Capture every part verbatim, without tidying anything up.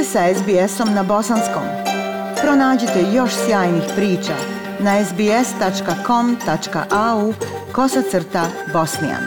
ste sa es be esom na bosanskom. Pronađite još sjajnih priča na es be es tačka com tačka a u kosacrta bosnijan.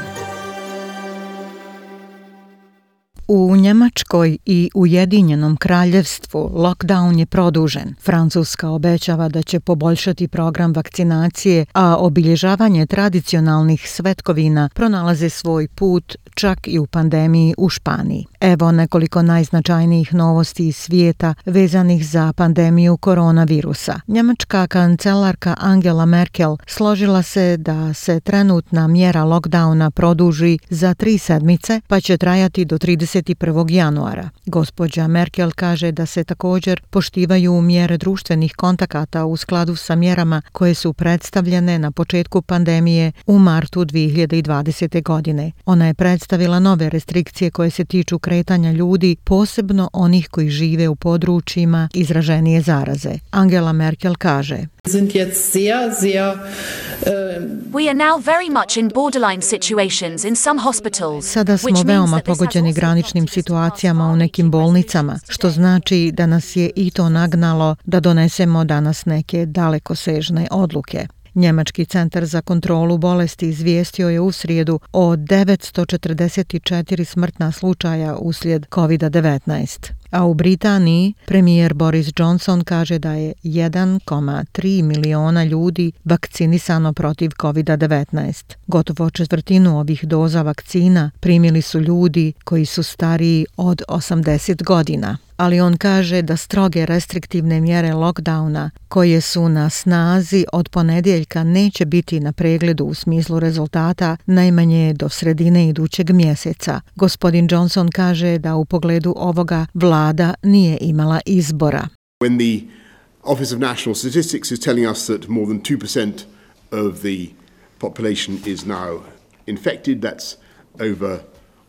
U Njemačkoj i Ujedinjenom kraljevstvu lockdown je produžen. Francuska obećava da će poboljšati program vakcinacije, a obilježavanje tradicionalnih svetkovina pronalaze svoj put čak i u pandemiji u Španiji. Evo nekoliko najznačajnijih novosti iz svijeta vezanih za pandemiju koronavirusa. Njemačka kancelarka Angela Merkel složila se da se trenutna mjera lockdowna produži za tri sedmice, pa će trajati do trideset prvog januara. Gospođa Merkel kaže da se također poštivaju mjere društvenih kontakata u skladu sa mjerama koje su predstavljene na početku pandemije u martu dvije hiljade dvadesete. godine. Ona je predstavila nove restrikcije koje se tiču kretanja ljudi, posebno onih koji žive u područjima izraženije zaraze. Angela Merkel kaže: We are now very much in borderline situations in some hospitals. Sada smo veoma pogođeni graničnim situacijama u nekim bolnicama, što znači da nas je i to nagnalo da donesemo danas neke dalekosežne odluke. Njemački centar za kontrolu bolesti izvijestio je u srijedu o devetsto četrdeset četiri smrtna slučaja uslijed kovid devetnaest. A u Britaniji premijer Boris Johnson kaže da je jedan zarez tri miliona ljudi vakcinisano protiv kovid devetnaest. Gotovo četvrtinu ovih doza vakcina primili su ljudi koji su stariji od osamdeset godina. Ali on kaže da stroge restriktivne mjere lockdowna koje su na snazi od ponedjeljka neće biti na pregledu u smislu rezultata najmanje do sredine idućeg mjeseca. Gospodin Johnson kaže da u pogledu ovoga vlada nije imala izbora. When the Office of National Statistics is telling us that more than two percent of the population is now infected, that's over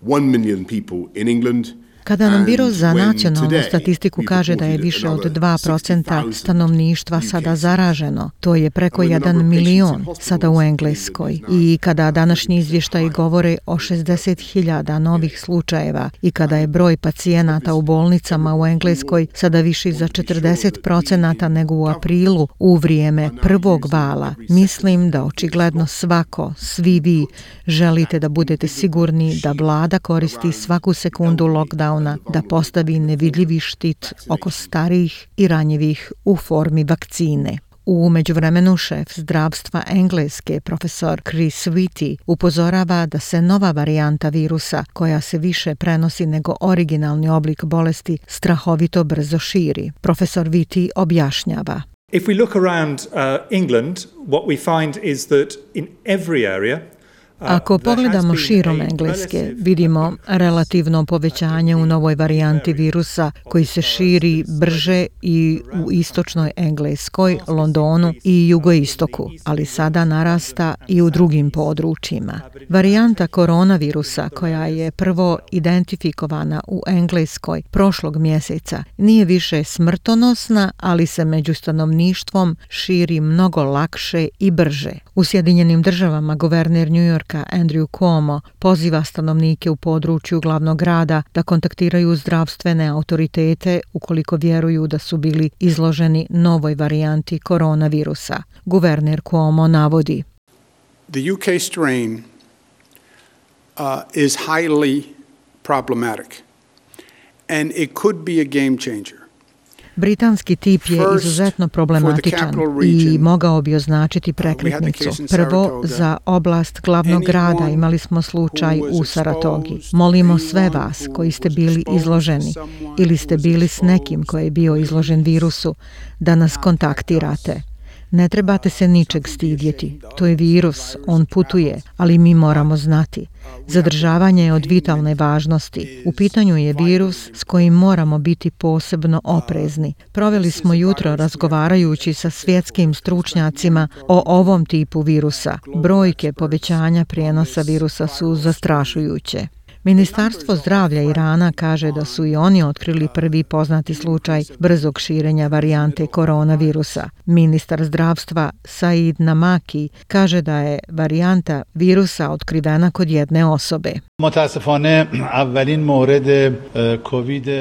one million people in England. Kada nam Biro za nacionalnu statistiku kaže da je više od dva procenta stanovništva sada zaraženo, to je preko jedan milion sada u Engleskoj. I kada današnji izvještaji govore o šezdeset hiljada novih slučajeva i kada je broj pacijenata u bolnicama u Engleskoj sada viši za četrdeset procenata nego u aprilu u vrijeme prvog vala, mislim da očigledno svako, svi vi, želite da budete sigurni da vlada koristi svaku sekundu lockdowna da postavi nevidljivi štit oko starijih i ranjivih u formi vakcine. U međuvremenu šef zdravstva Engleske, profesor Chris Whitty, upozorava da se nova varijanta virusa, koja se više prenosi nego originalni oblik bolesti, strahovito brzo širi. Profesor Whitty objašnjava: If we look around uh, England, what we find is that in every area Ako pogledamo širom Engleske, vidimo relativno povećanje u novoj varijanti virusa koji se širi brže i u istočnoj Engleskoj, Londonu i jugoistoku, ali sada narasta i u drugim područjima. Varijanta koronavirusa koja je prvo identifikovana u Engleskoj prošlog mjeseca nije više smrtonosna, ali se među stanovništvom širi mnogo lakše i brže. U Sjedinjenim državama guverner New Yorka Andrew Cuomo poziva stanovnike u području glavnog grada da kontaktiraju zdravstvene autoritete ukoliko vjeruju da su bili izloženi novoj varijanti koronavirusa. Guverner Cuomo navodi: The U K strain uh, is highly problematic and it could be a game changer. Britanski tip je izuzetno problematičan i mogao bi označiti prekretnicu. Prvo, za oblast glavnog grada imali smo slučaj u Saratogi. Molimo sve vas koji ste bili izloženi ili ste bili s nekim koji je bio izložen virusu da nas kontaktirate. Ne trebate se ničeg stidjeti. To je virus, on putuje, ali mi moramo znati. Zadržavanje je od vitalne važnosti. U pitanju je virus s kojim moramo biti posebno oprezni. Proveli smo jutro razgovarajući sa svjetskim stručnjacima o ovom tipu virusa. Brojke povećanja prijenosa virusa su zastrašujuće. Ministarstvo zdravlja Irana kaže da su i oni otkrili prvi poznati slučaj brzog širenja varijante koronavirusa. Ministar zdravstva Said Namaki kaže da je varijanta virusa otkrivena kod jedne osobe.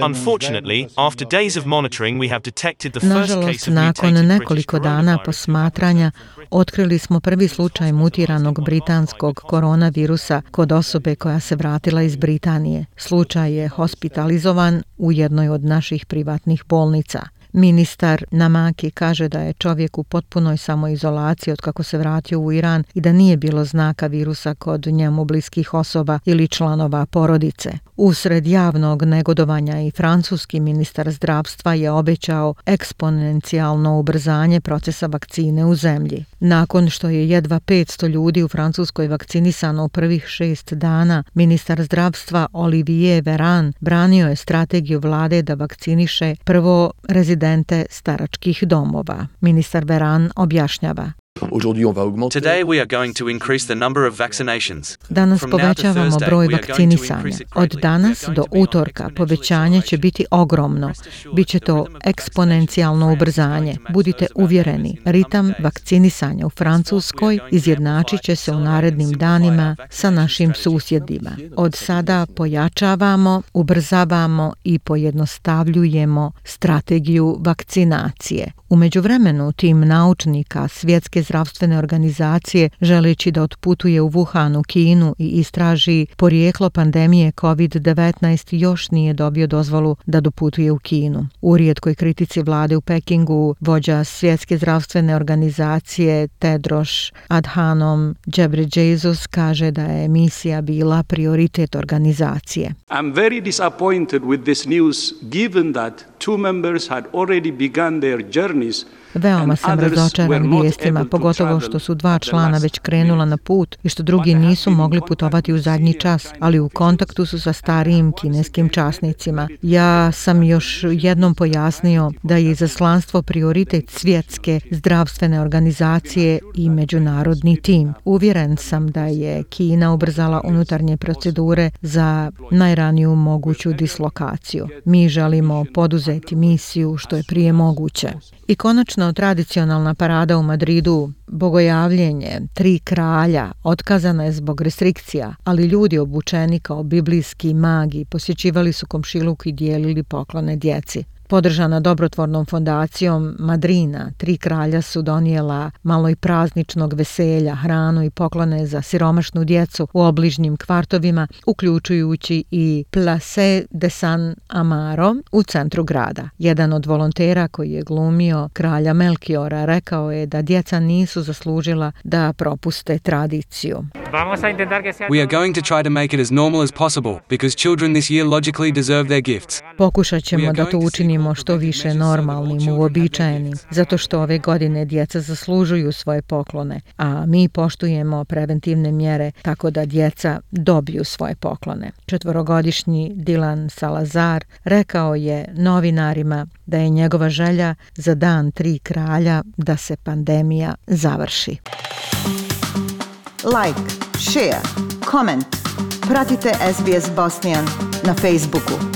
Unfortunately, after days of monitoring, we have detected the first Nažalost, case of nakon mutated nekoliko British dana coronavirus. posmatranja otkrili smo prvi slučaj mutiranog britanskog koronavirusa kod osobe koja se vratila iz Britanije. Slučaj je hospitalizovan u jednoj od naših privatnih bolnica. Ministar Namaki kaže da je čovjek u potpunoj samoizolaciji od kako se vratio u Iran i da nije bilo znaka virusa kod njemu bliskih osoba ili članova porodice. Usred javnog negodovanja i francuski ministar zdravstva je obećao eksponencijalno ubrzanje procesa vakcine u zemlji. Nakon što je jedva petsto ljudi u Francuskoj vakcinisano u prvih šest dana, ministar zdravstva Olivier Véran branio je strategiju vlade da vakciniše prvo rezidente staračkih domova. Ministar Véran objašnjava. Today we are going to increase the number of vaccinations. Danas From now to povećavamo Thursday, broj we are going to vakcinisanja. increase it Od greatly. danas We are do going to be on utorka exponential povećanje će biti ogromno. Biće to eksponencijalno ubrzanje. Budite uvjereni, ritam vakcinisanja u Francuskoj izjednačit će se u narednim danima sa našim susjedima. Od sada pojačavamo, ubrzavamo i pojednostavljujemo strategiju vakcinacije. U međuvremenu tim naučnika Svjetske zdravstvene organizacije, želeći da otputuje u Wuhan u Kinu i istraži porijeklo pandemije kovid devetnaest, još nije dobio dozvolu da doputuje u Kinu. U rijetkoj kritici vlade u Pekingu, vođa Svjetske zdravstvene organizacije Tedros Adhanom Ghebreyesus kaže da je misija bila prioritet organizacije. I'm very disappointed with this news, given that two members had already begun their journeys. Veoma sam razočaran vijestima, pogotovo što su dva člana već krenula na put i što drugi nisu mogli putovati u zadnji čas, ali u kontaktu su sa starijim kineskim časnicima. Ja sam još jednom pojasnio da je izaslanstvo prioritet Svjetske zdravstvene organizacije i međunarodni tim. Uvjeren sam da je Kina ubrzala unutarnje procedure za najraniju moguću dislokaciju. Mi želimo poduzeti misiju što je prije moguće. I konačno tradicionalna parada u Madridu, bogojavljenje Tri kralja, otkazana je zbog restrikcija, ali ljudi obučeni kao biblijski magi posjećivali su komšiluk i dijelili poklone djeci. Podržana dobrotvornom fondacijom Madrina, Tri kralja su donijela malo i prazničnog veselja, hranu i poklone za siromašnu djecu u obližnjim kvartovima, uključujući i Place de San Amaro u centru grada. Jedan od volontera koji je glumio kralja Melkiora rekao je da djeca nisu zaslužila da propuste tradiciju. We are going to try to make it as normal as possible because children this year logically deserve their gifts. Pokušat ćemo da to učinimo što više normalnim, uobičajenim, zato što ove godine djeca zaslužuju svoje poklone, a mi poštujemo preventivne mjere tako da djeca dobiju svoje poklone. Četvorogodišnji Dylan Salazar rekao je novinarima da je njegova želja za dan Tri kralja da se pandemija završi. Like, share, comment. Pratite S B S Bosnian na Facebooku.